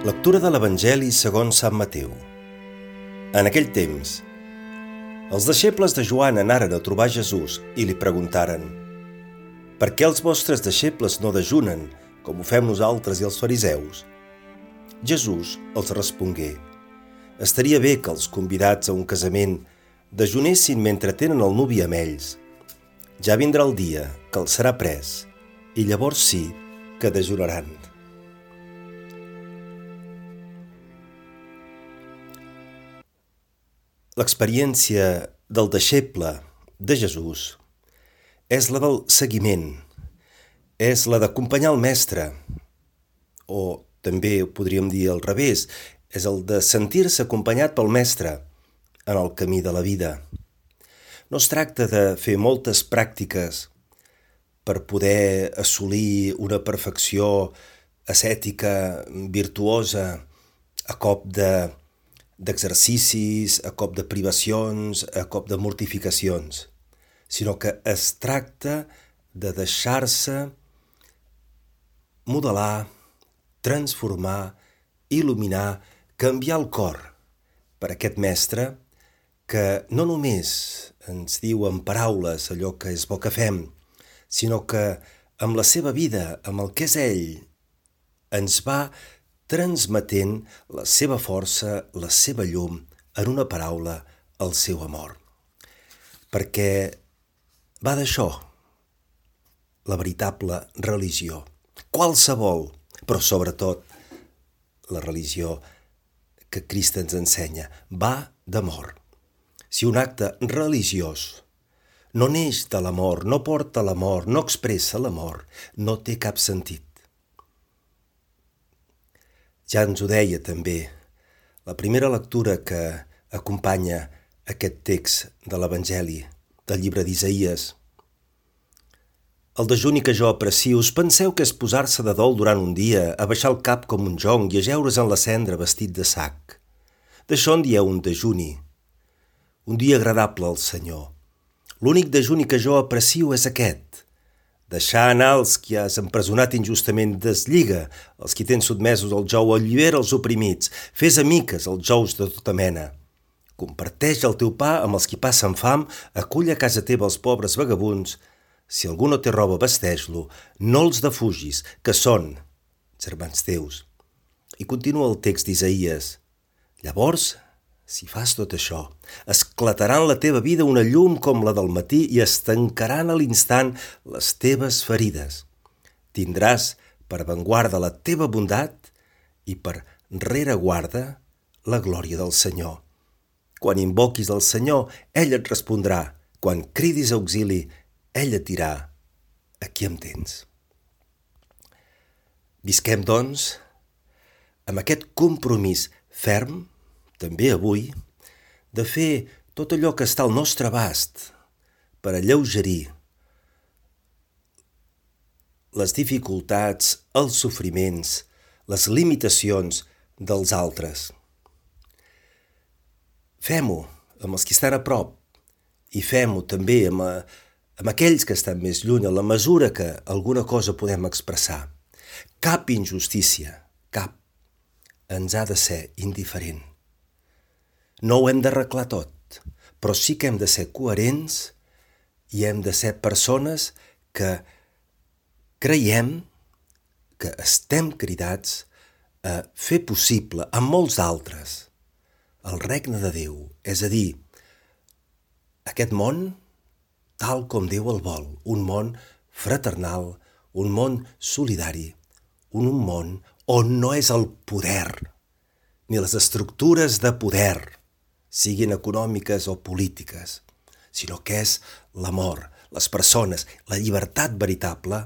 Lectura de l'Evangeli segons Sant Mateu. En aquell temps, els deixebles de Joan anaren a trobar Jesús i li preguntaren: «Per què els vostres deixebles no dejunen, com ho fem nosaltres i els fariseus?» Jesús els respongué: «Estaria bé que els convidats a un casament dejunessin mentre tenen el nuvi amb ells. Ja vindrà el dia que els serà pres, i llavors sí que dejunaran». L'experiència del deixeble de Jesús és la del seguiment, és la d'acompanyar el mestre, o també ho podríem dir al revés, és el de sentir-se acompanyat pel mestre en el camí de la vida. No es tracta de fer moltes pràctiques per poder assolir una perfecció ascètica, virtuosa, a cop d'exercicis, a cop de privacions, a cop de mortificacions, sinó que es tracta de deixar-se modelar, transformar, il·luminar, canviar el cor per aquest mestre que no només ens diu en paraules allò que és bo que fem, sinó que amb la seva vida, amb el que és ell, ens va transmetent la seva força, la seva llum, en una paraula, el seu amor. Perquè va d'això, la veritable religió. Qualsevol, però sobretot la religió que Crist ens ensenya, va d'amor. Si un acte religiós no neix de l'amor, no porta l'amor, no expressa l'amor, no té cap sentit. Ja ens ho deia també la primera lectura que acompanya aquest text de l'Evangeli, del llibre d'Isaïes. El dejuni que jo aprecio, us penseu que és posar-se de dol durant un dia, a baixar el cap com un jonc i ajeure's en la cendra vestit de sac. D'això en dieu un dejuni, un dia agradable al Senyor. L'únic dejuni que jo aprecio és aquest: deixar anar els qui has empresonat injustament, deslliga els qui tens sotmesos al jou, allibera els oprimits, fes amiques els jous de tota mena. Comparteix el teu pa amb els qui passen fam, acull a casa teva els pobres vagabunds. Si algú no té roba, vesteix-lo, no els defugis, que són germans teus. I continua el text d'Isaïes. Llavors, si fas tot això, esclatarà en la teva vida una llum com la del matí i es tancaran a l'instant les teves ferides. Tindràs per avantguarda la teva bondat i per rereguarda la glòria del Senyor. Quan invoquis el Senyor, ell et respondrà. Quan cridis auxili, ell et dirà: aquí em tens. Visquem, doncs, amb aquest compromís ferm, també avui, de fer tot allò que està al nostre abast per alleugerir les dificultats, els sofriments, les limitacions dels altres. Fem-ho amb els que estan a prop i fem-ho també amb aquells que estan més lluny, a la mesura que alguna cosa podem expressar. Cap injustícia, cap, ens ha de ser indiferent. No ho hem d'arreglar tot, però sí que hem de ser coherents i hem de ser persones que creiem que estem cridats a fer possible amb molts d'altres el regne de Déu, és a dir, aquest món tal com Déu el vol, un món fraternal, un món solidari, un món on no és el poder ni les estructures de poder, siguin econòmiques o polítiques, sinó que és l'amor, les persones, la llibertat veritable,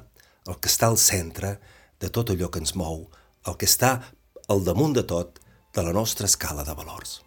el que està al centre de tot allò que ens mou, el que està al damunt de tot de la nostra escala de valors.